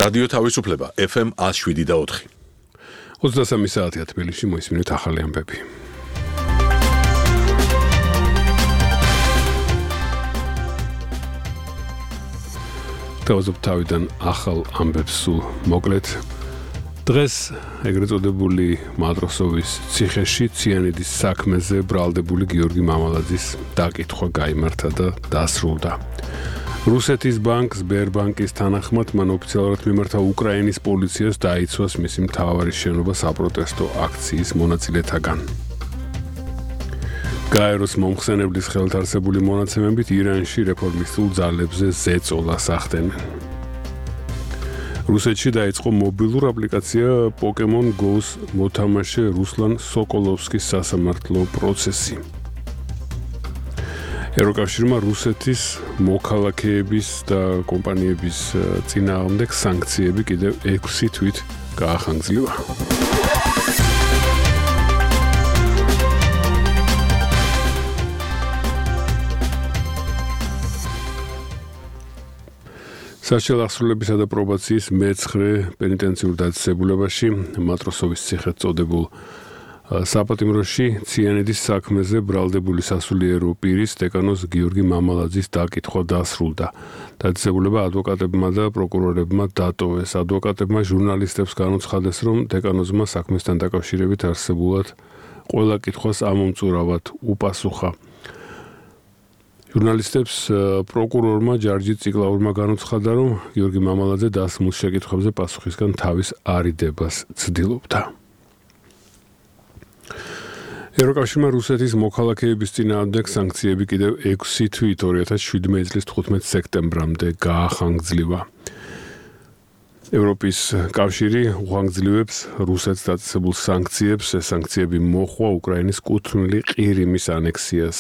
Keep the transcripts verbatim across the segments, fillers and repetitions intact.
რადიო თავისუფლება ეფ ემ one oh seven და four. ოცდასამი საათია თბილისში, მოისმინეთ ახალი ამბები. თავზობ თავიდან ახალ ამბებს სულ მოკლედ. დღეს ეგრეთ წოდებული მატროსოვის ციხეში ციანიდის საქმეზე ბრალდებული გიორგი მამალაძის დაკითხვა გაიმართა და დასრულდა. რუსეთის ბანკ სბერბანკის თანახმად მან ოფიციალურად მიმართა უკრაინის პოლიციას დაიცვას მისი მთავარი შენობა საპროტესტო აქციის მონაწილეთაგან. გაეროს მომხსენებლის ხელთ არსებული მონაცემებით ირანში რეფორმისტულ ძალებზე ზეწოლას ახდენენ. რუსეთში დაიწყო მობილურ აპლიკაცია Pokemon Go-ს მოთამაშე რუსლან სოკოლოვსკის სასამართლო პროცესი. ევროკავშირმა რუსეთის მოქალაქეების და კომპანიების წინააღმდეგ სანქციები კიდევ ექვსი თვით გაახანგრძლივა. საშუალო აღსრულებისა და პრობაციის მეცხრე პენიტენციურ დაწესებულებაში მატროსოვის ციხედ წოდებულ საპატიმროში ციანიდის საქმეზე ბრალდებული სასულიერო პირის დეკანოს გიორგი მამალაძის დაკითხვა დასრულდა. დაწესებულება ადვოკატებმა და პროკურორებმა დატოვეს. ადვოკატებმა ჟურნალისტებს განუცხადეს, რომ დეკანოზმა საქმესთან დაკავშირებით არსებულად ყველა კითხვას ამომწურავად უპასუხა. ჟურნალისტებს პროკურორმა ჯარჯი ციკლაურმა განუცხადა, რომ გიორგი მამალაძე დასმულ შეკითხვებზე პასუხისგან თავის არიდებას ცდილობდა. ევროკავშირმა რუსეთის მოქალაქეების წინააღმდეგ სანქციები კიდევ ექვსი თვით ორი ათას შვიდმეტი წლის თხუთმეტი სექტემბრამდე გაახანგრძლივა. ევროპის კავშირი უხანგრძლივებს რუსეთს დაწესებულ სანქციებს. ეს სანქციები მოჰყვა უკრაინის კუთვნილი ყირიმის ანექსიას.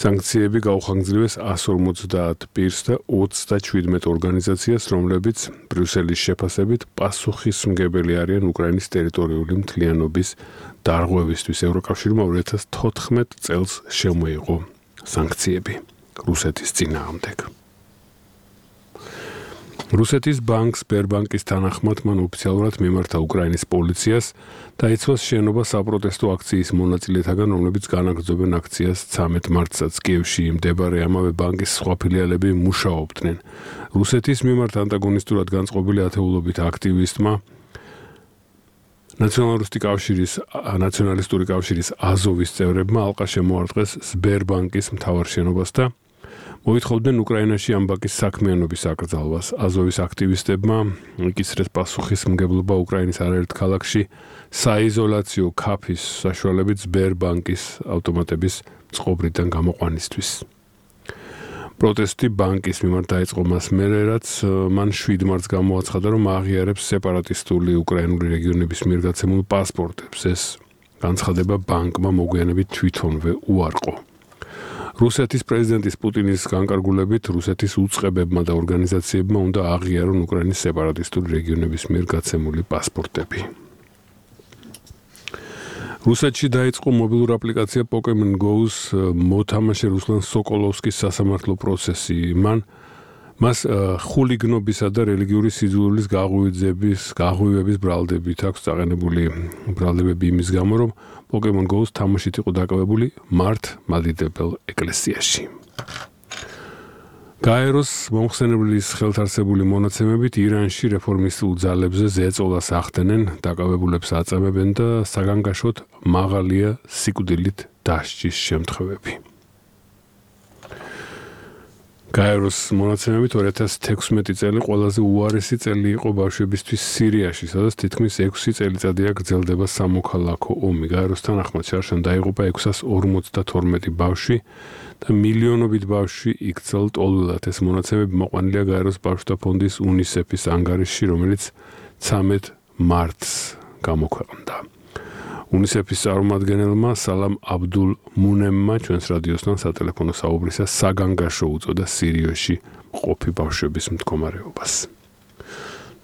სანქციები გაუხანგრძლივეს one forty პირს და ოცდაშვიდმეტ ორგანიზაციას, რომლებიც ბრიუსელის შეფასებით პასუხისმგებელი არიან უკრაინის ტერიტორიული მთლიანობის დარღვევისთვის. ევროკავშირმა ორი ათას თოთხმეტ წელს შემოიღო სანქციები რუსეთის წინააღმდეგ. რუსეთის ბანკ სბერბანკის თანახმად მან ოფიციალურად მიმართა უკრაინის პოლიციას დაიცვას შენობა საპროტესტო აქციის მონაწილეთაგან, რომლებიც განაგრძობენ აქციას ცამეტ მარტსაც. კიევში მდებარე ამავე ბანკის სხვა ფილიალები მუშაობდნენ. რუსეთის მიმართ ანტაგონისტურად განწყობილი ათეულობით აქტივისტმა ნაციონალისტური კავშირის ნაციონალისტური კავშირის აზოვის წევრებმა ალყა შემოარტყეს სბერბანკის მთავარ შენობას და მოითხოვდნენ უკრაინაში ამ ბანკის საქმიანობის აკრძალვას. აზოვის აქტივისტებმა იკისრეს პასუხისმგებლობა უკრაინის არაერთ ქალაქში საიზოლაციო ქაფის საშუალებით სბერბანკის ავტომატების წყობრიდან გამოყვანისთვის. პროტესტი ბანკის მიმართ დაიწყო მას მერე, რაც მან შვიდ მარტს გამოაცხადა, რომ აღიარებს სეპარატისტული უკრაინული რეგიონების მიერ გაცემულ პასპორტებს. ეს განცხადება ბანკმა მოგვიანებით თვითონვე უარყო. რუსეთის პრეზიდენტის პუტინის განკარგულებით რუსეთის უწყებებმა და ორგანიზაციებმა უნდა აღიარონ უკრაინის სეპარატისტული რეგიონების მიერ გაცემული პასპორტები. რუსეთში დაიწყო მობილურ აპლიკაცია Pokemon Go-ს მოთამაშე რუსლან სოკოლოვსკის სასამართლო პროცესი. მან მას ხულიგნობისა და რელიგიური სიძულვილის გაღვივების გაღვივების ბრალდებით აქვს წაყენებული ბრალდებები იმის გამო, რომ Pokemon Go-ს თამაშით იყო დაკავებული მართ მადიდებელ ეკლესიაში. გაეროს მომხსენებლის ხელთ არსებული მონაცემებით ირანში რეფორმისტულ ძალებზე ზეწოლას ახდენენ, დაკავებულებს აწამებენ და საგანგაშოდ მაღალია სიკვდილით დასჯის შემთხვევები. გაეროს მონაცემებით ორი ათას თექვსმეტი წელი ყველაზე უარესი წელი იყო ბავშვებისთვის სირიაში, სადაც თითქმის ექვსი წელიწადია გრძელდება სამოქალაქო ომი. გაეროს თანახმად შარშან დაიღუპა ექვსას ორმოცდათორმეტი ბავშვი და მილიონობით ბავშვი იქცელ ტოლვილად. ეს მონაცემები მოყვანილია გაეროს ბავშვთა ფონდის უნისეფის ანგარიშში, რომელიც ცამეტ მარტს გამოქვეყნდა. უნისეფის წარმომადგენელმა სალამ აბდულ მუნემმა ჩვენს რადიოსთან სატელეფონო საუბრისას საგანგაშო უწოდა სირიაში მყოფი ბავშვების მდგომარეობას.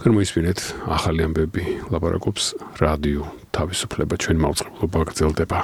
თქვენ მოისმინეთ ახალი ამბები, ლაპარაკობს რადიო თავისუფლება, ჩვენ მაუწყებლობა გრძელდება.